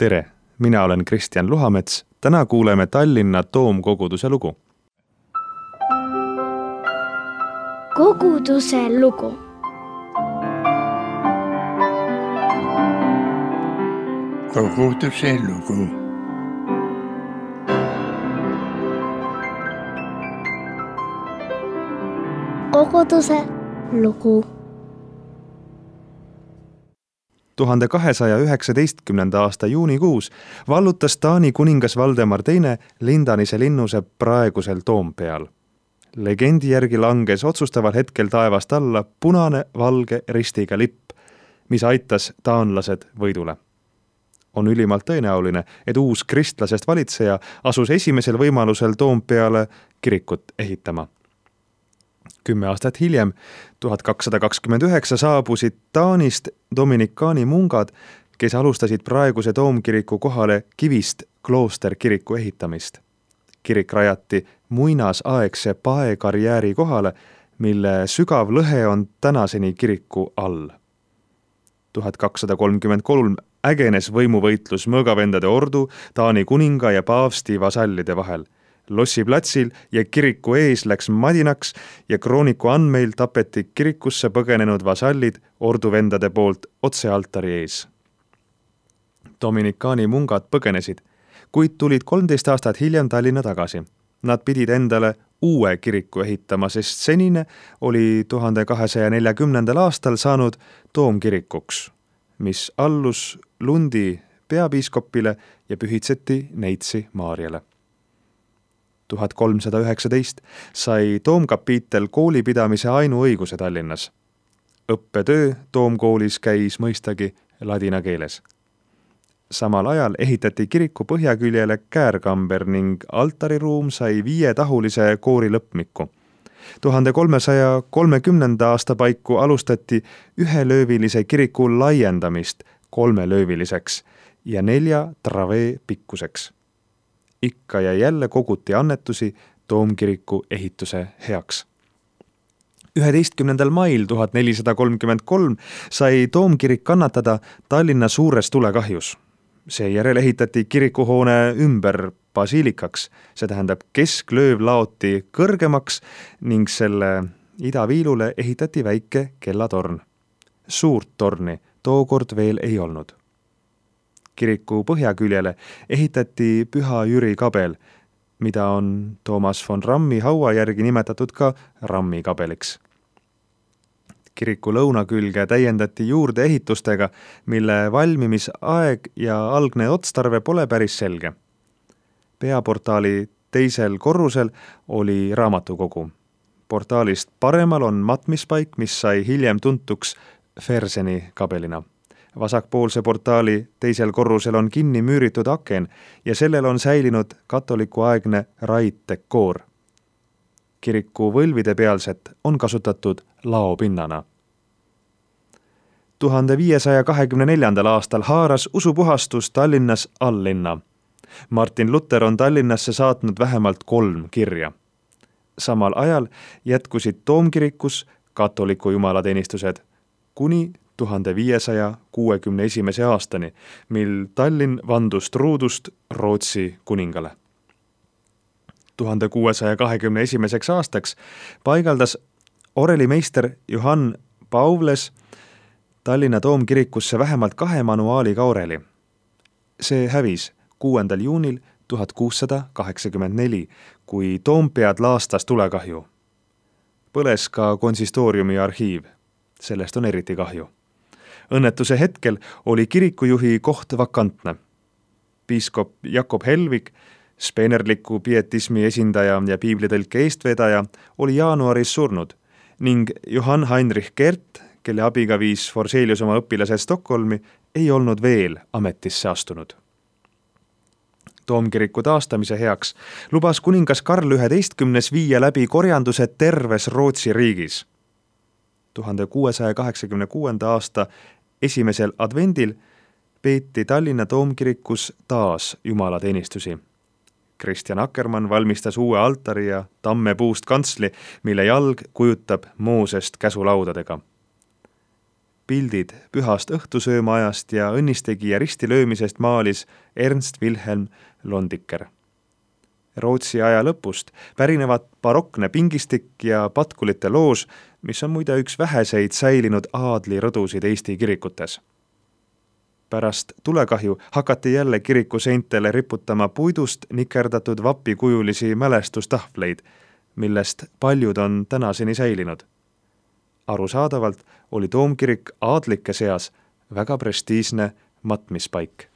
Tere, mina olen Kristjan Luhamets. Täna kuuleme Tallinna Toomkoguduse lugu. Koguduse lugu. Koguduse lugu. Koguduse lugu. 1219. aasta juunikuus vallutas Taani kuningas Valdemar II Lindanise linnuse praegusel Toompeal. Legendi järgi langes otsustaval hetkel taevast alla punane valge ristiga lipp, mis aitas taanlased võidule. On ülimalt tõenäoline, et uus kristlasest valitseja asus esimesel võimalusel Toompeale kirikut ehitama. 10 aastat hiljem, 1229, saabusid Taanist dominikaani mungad, kes alustasid praeguse toomkiriku kohale kivist kloosterkiriku ehitamist. Kirik rajati muinasaegse paekarjääri kohale, mille sügav lõhe on tänaseni kiriku all. 1233 ägenes võimuvõitlus mõõgavendade ordu, Taani kuninga ja paavsti vasallide vahel. Lossi platsil ja kiriku ees läks madinaks ja krooniku andmeil tapeti kirikusse põgenenud vasallid orduvendade poolt otse altari ees. Dominikaani mungad põgenesid, kuid tulid 13 aastat hiljem Tallinna tagasi. Nad pidid endale uue kiriku ehitama, sest senine oli 1240. aastal saanud toomkirikuks, mis allus Lundi peapiiskopile ja pühitseti Neitsi Maarjale. 1319 sai toomkapiitel koolipidamise ainuõiguse Tallinnas. Õppetöö toomkoolis käis mõistagi ladina keeles. Samal ajal ehitati kiriku põhjaküljele käärkamber ning altariruum sai 5-tahulise koori lõpmiku. 1330. aasta paiku alustati 1-löövilise kiriku laiendamist 3-lööviliseks ja 4 travee pikkuseks. Ikka ja jälle koguti annetusi toomkiriku ehituse heaks. 11. mail 1433 sai toomkirik kannatada Tallinna suures tulekahjus. Seejärel ehitati kirikuhoone ümber basiilikaks, see tähendab kesklööv laoti kõrgemaks ning selle idaviilule ehitati väike kellatorn. Suurt torni tookord veel ei olnud. Kiriku põhjaküljele ehitati Püha Jüri kabel, mida on Toomas von Rammi haua järgi nimetatud ka Rammi kabeliks. Kiriku lõunakülge täiendati juurde ehitustega, mille valmimisaeg ja algne otstarve pole päris selge. Peaportaali teisel korrusel oli raamatukogu. Portaalist paremal on matmispaik, mis sai hiljem tuntuks Ferseni kabelina. Vasakpoolse portaali teisel korrusel on kinni müüritud aken ja sellel on säilinud katolikuaegne raiddekoor. Kiriku võlvide pealset on kasutatud laopinnana. 1524. aastal haaras usupuhastus Tallinnas alllinna. Martin Luther on Tallinnasse saatnud vähemalt 3 kirja. Samal ajal jätkusid toomkirikus katoliku jumalateenistused kuni 1561. aastani, mil Tallinn vandus truudust Rootsi kuningale. 1621. aastaks paigaldas orelimeister Johann Pauvles Tallinna toomkirikusse vähemalt 2 manuaaliga oreli. See hävis 6. juunil 1684, kui Toompead laastas tulekahju. Põles ka konsistooriumi arhiiv. Sellest on eriti kahju. Õnnetuse hetkel oli kirikujuhi koht vakantne. Piiskop Jakob Helvig, speenerliku pietismi esindaja ja piiblitõlke eestvedaja, oli jaanuaris surnud ning Johann Heinrich Kert, kelle abiga viis Forselius oma õpilased Stockholmi, ei olnud veel ametisse astunud. Toomkiriku taastamise heaks lubas kuningas Karl XI viia läbi korjanduse terves Rootsi riigis. 1686. aasta esimesel advendil peeti Tallinna toomkirikus taas jumalateenistusi. Kristjan Akkermann valmistas uue altari ja tammepuust kantsli, mille jalg kujutab Moosest käsulaudadega. pildid pühast õhtusöömaajast ja õnnistegija ristilöömisest maalis Ernst Wilhelm Londiker. Rootsi aja lõpust pärinevad barokne pingistik ja patkulite loož, mis on muide üks väheseid säilinud aadlirõdusid Eesti kirikutes. Pärast tulekahju hakati jälle kiriku seintele riputama puidust nikerdatud vapikujulisi mälestustahvleid, millest paljud on tänaseni säilinud. Arusaadavalt oli toomkirik aadlike seas väga prestiižne matmispaik.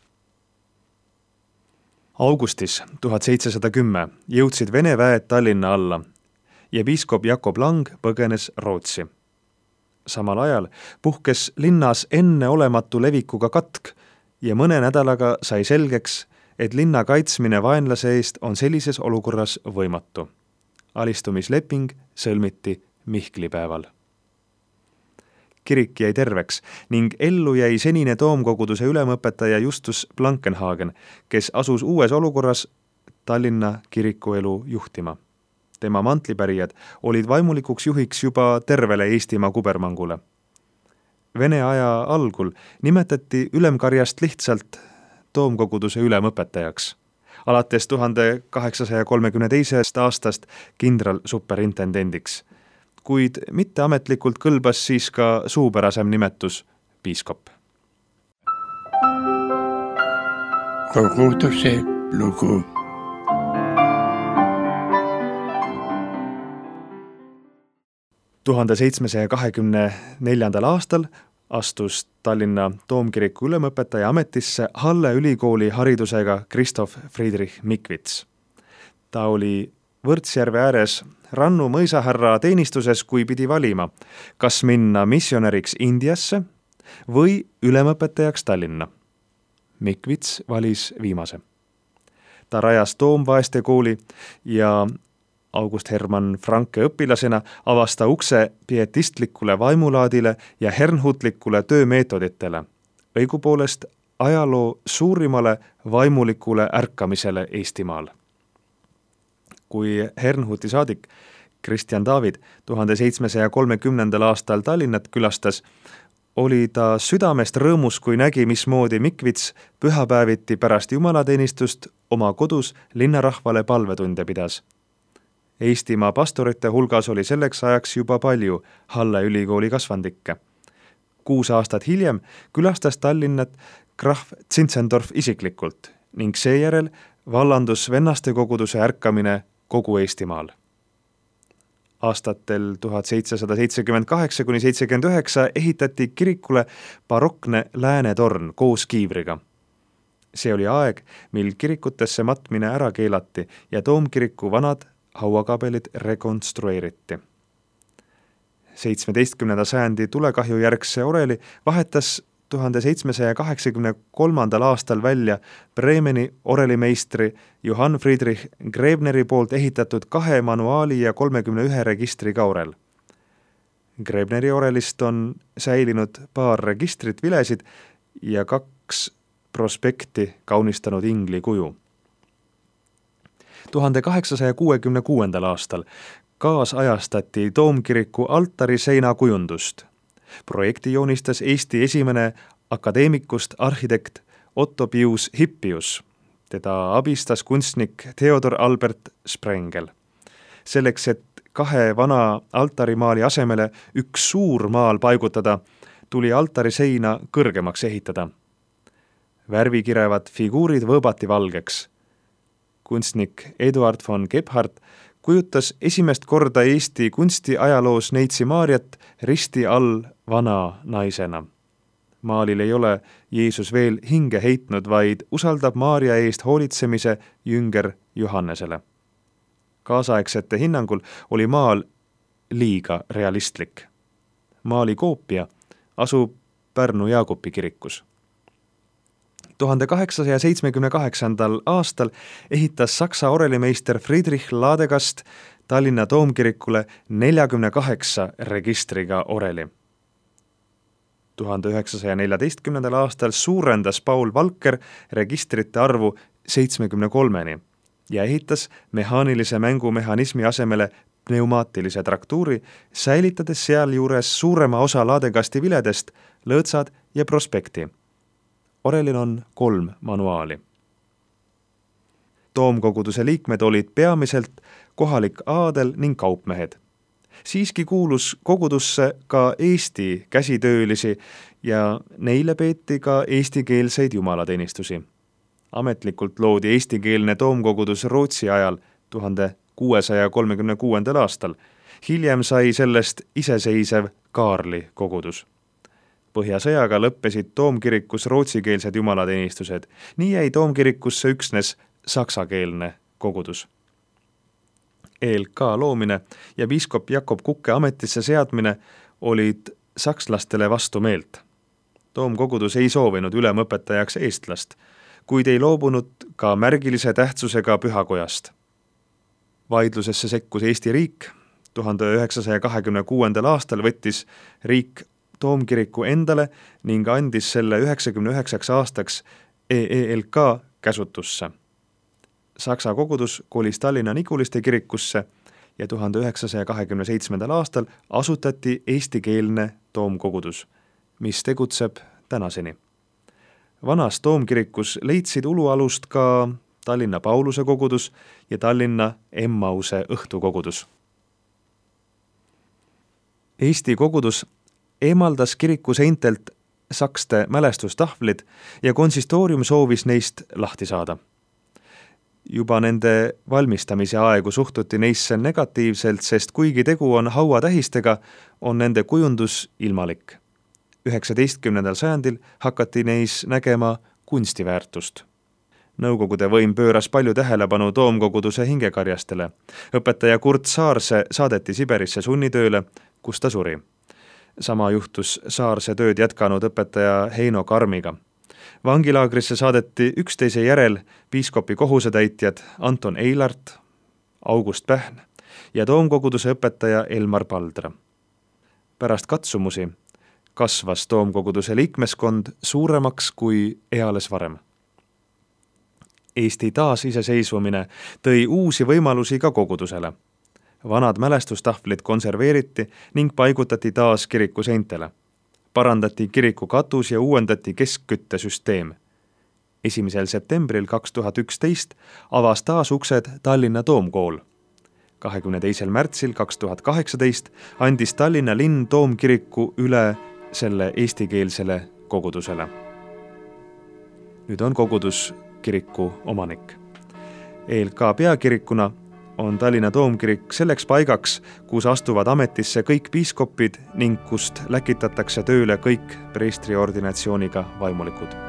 Augustis 1710 jõudsid Vene väed Tallinna alla ja piiskop Jakob Lang põgenes Rootsi. Samal ajal puhkes linnas enneolematu levikuga katk ja mõne nädalaga sai selgeks, et linna kaitsmine vaenlase eest on sellises olukorras võimatu. Alistumisleping sõlmiti Mihklipäeval. Kirik jäi terveks ning ellu jäi senine toomkoguduse ülemõpetaja Justus Blankenhagen, kes asus uues olukorras Tallinna kirikuelu juhtima. Tema mantlipärijad olid vaimulikuks juhiks juba tervele Eestimaa kubermangule. Vene aja algul nimetati ülemkarjast lihtsalt toomkoguduse ülemõpetajaks. Alates 1832. aastast kindralsuperintendendiks, kuid mitteametlikult kõlbas siis ka suupärasem nimetus piiskop. Koguduse lugu. Tuhande 724. aastal astus Tallinna toomkiriku ülemõpetaja ametisse Halle ülikooli haridusega Christoph Friedrich Mikvits. Ta oli Võrtsjärve ääres Rannu mõisahärra teenistuses, kui pidi valima, kas minna missionäriks Indiasse või ülemõpetajaks Tallinna. Mikvits valis viimase. Ta rajas toomvaeste kooli ja August Hermann Franke õpilasena avas ta ukse pietistlikule vaimulaadile ja hernhutlikule töömeetoditele, õigupoolest ajaloo suurimale vaimulikule ärkamisele Eestimaal. Kui Hernhuti saadik Kristjan David 1730. aastal Tallinnat külastas, oli ta südamest rõõmus, kui nägi, mismoodi Mikvits pühapäeviti pärast jumalateenistust oma kodus linnarahvale palvetunde pidas. Eestimaa pastorite hulgas oli selleks ajaks juba palju Halle ülikooli kasvandikke. 6 aastat hiljem külastas Tallinnat krahv Zinzendorf isiklikult ning seejärel vallandus vennaste koguduse ärkamine kogu Eestimaal. Aastatel 1778–79 ehitati kirikule barokne läänetorn koos kiivriga. See oli aeg, mil kirikutesse matmine ära keelati ja toomkiriku vanad hauakabelid rekonstrueeriti. 17. sajandi tulekahju järgse oreli vahetas 1783. aastal välja Bremeni orelimeistri Johann Friedrich Grebneri poolt ehitatud 2 manuaali ja 31 registriga orel. Grebneri orelist on säilinud paar registrit vilesid ja 2 prospekti kaunistanud ingli kuju. 1866. aastal kaasajastati toomkiriku altariseina kujundust. Projekti joonistas Eesti esimene akadeemikust arhitekt Otto Pius Hippius. Teda abistas kunstnik Theodor Albert Sprengel. Selleks, et 2 vana altarimaali asemele üks suur maal paigutada, tuli altariseina kõrgemaks ehitada. Värvikirevad figuurid võõbati valgeks. Kunstnik Eduard von Gebhardt kujutas esimest korda Eesti kunstiajaloos Neitsi Maarjat risti all vana naisena. Maalil ei ole Jeesus veel hinge heitnud, vaid usaldab Maarja eest hoolitsemise jünger Johannesele. Kaasaegsete hinnangul oli maal liiga realistlik. Maali koopia asub Pärnu Jaagupi kirikus. 1878. aastal ehitas Saksa orelimeister Friedrich Ladegast Tallinna toomkirikule 48 registriga oreli. 1914. aastal suurendas Paul Valker registrite arvu 73-ni ja ehitas mehaanilise mängumehhanismi asemele pneumaatilise traktuuri, säilitades sealjuures suurema osa Ladegasti viledest lõõtsad ja prospekti. orelil on 3 manuaali. Toomkoguduse liikmed olid peamiselt kohalik aadel ning kaupmehed. Siiski kuulus kogudusse ka Eesti käsitöölisi ja neile peeti ka eestikeelseid jumalateenistusi. Ametlikult loodi eestikeelne toomkogudus Rootsi ajal 1636. aastal. Hiljem sai sellest iseseisev Kaarli kogudus. Põhjasõjaga lõppesid toomkirikus rootsikeelsed jumalateenistused. Nii jäi toomkirikusse üksnes saksakeelne kogudus. ELK loomine ja piiskop Jakob Kukke ametisse seadmine olid sakslastele vastu meelt. Toomkogudus ei soovinud ülemõpetajaks eestlast, kuid ei loobunud ka märgilise tähtsusega pühakojast. Vaidlusesse sekkus Eesti riik. 1926. aastal võttis riik toomkiriku endale ning andis selle 99 aastaks EELK käsutusse. Saksa kogudus kolis Tallinna Niguliste kirikusse ja 1927. aastal asutati eestikeelne toomkogudus, mis tegutseb tänaseni. Vanas toomkirikus leidsid ulualust ka Tallinna Pauluse kogudus ja Tallinna Emmause õhtukogudus. Eesti kogudus eemaldas kiriku seintelt sakste mälestustahvlid ja konsistoorium soovis neist lahti saada. Juba nende valmistamise aegu suhtuti neisse negatiivselt, sest kuigi tegu on hauatähistega, on nende kujundus ilmalik. 19. sajandil hakati neis nägema kunstiväärtust. Nõukogude võim pööras palju tähelepanu toomkoguduse hingekarjastele. Õpetaja Kurt Saarse saadeti Siberisse sunnitööle, kus ta suri. Sama juhtus Saarse tööd jätkanud õpetaja Heino Karmiga. Vangilaagrisse saadeti üksteise järel piiskopi kohusetäitjad Anton Eilart, August Pähn ja toomkoguduse õpetaja Elmar Paldra. Pärast katsumusi kasvas toomkoguduse liikmeskond suuremaks kui eales varem. Eesti taasiseseisvumine tõi uusi võimalusi ka kogudusele. Vanad mälestustahvlid konserveeriti ning paigutati taas kiriku seintele. Parandati kiriku katus ja uuendati keskküttesüsteem. 1. septembril 2011 avas taas uksed Tallinna Toomkool. 22. märtsil 2018 andis Tallinna linn toomkiriku üle selle eestikeelsele kogudusele. Nüüd on kogudus kiriku omanik. ELK peakirikuna on Tallinna toomkirik selleks paigaks, kus astuvad ametisse kõik piiskopid ning kust läkitatakse tööle kõik preestriordinatsiooniga vaimulikud.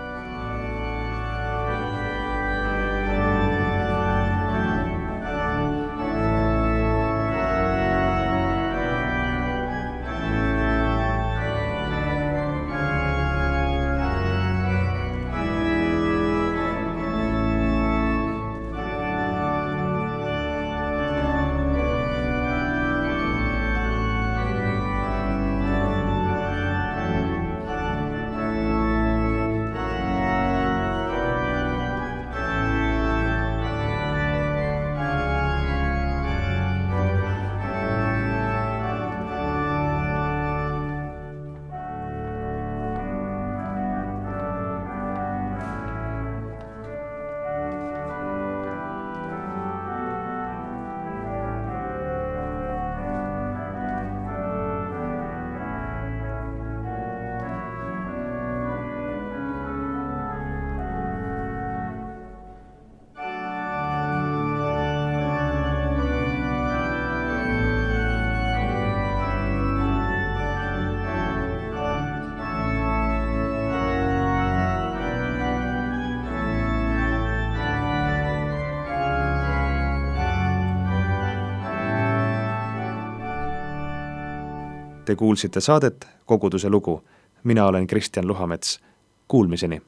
Te kuulsite saadet Koguduse lugu. Mina olen Kristjan Luhamets. Kuulmiseni.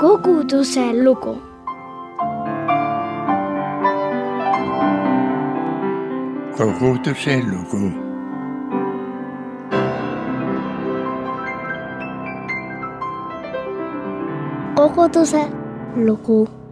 Koguduse lugu. Koguduse lugu. Koguduse lugu.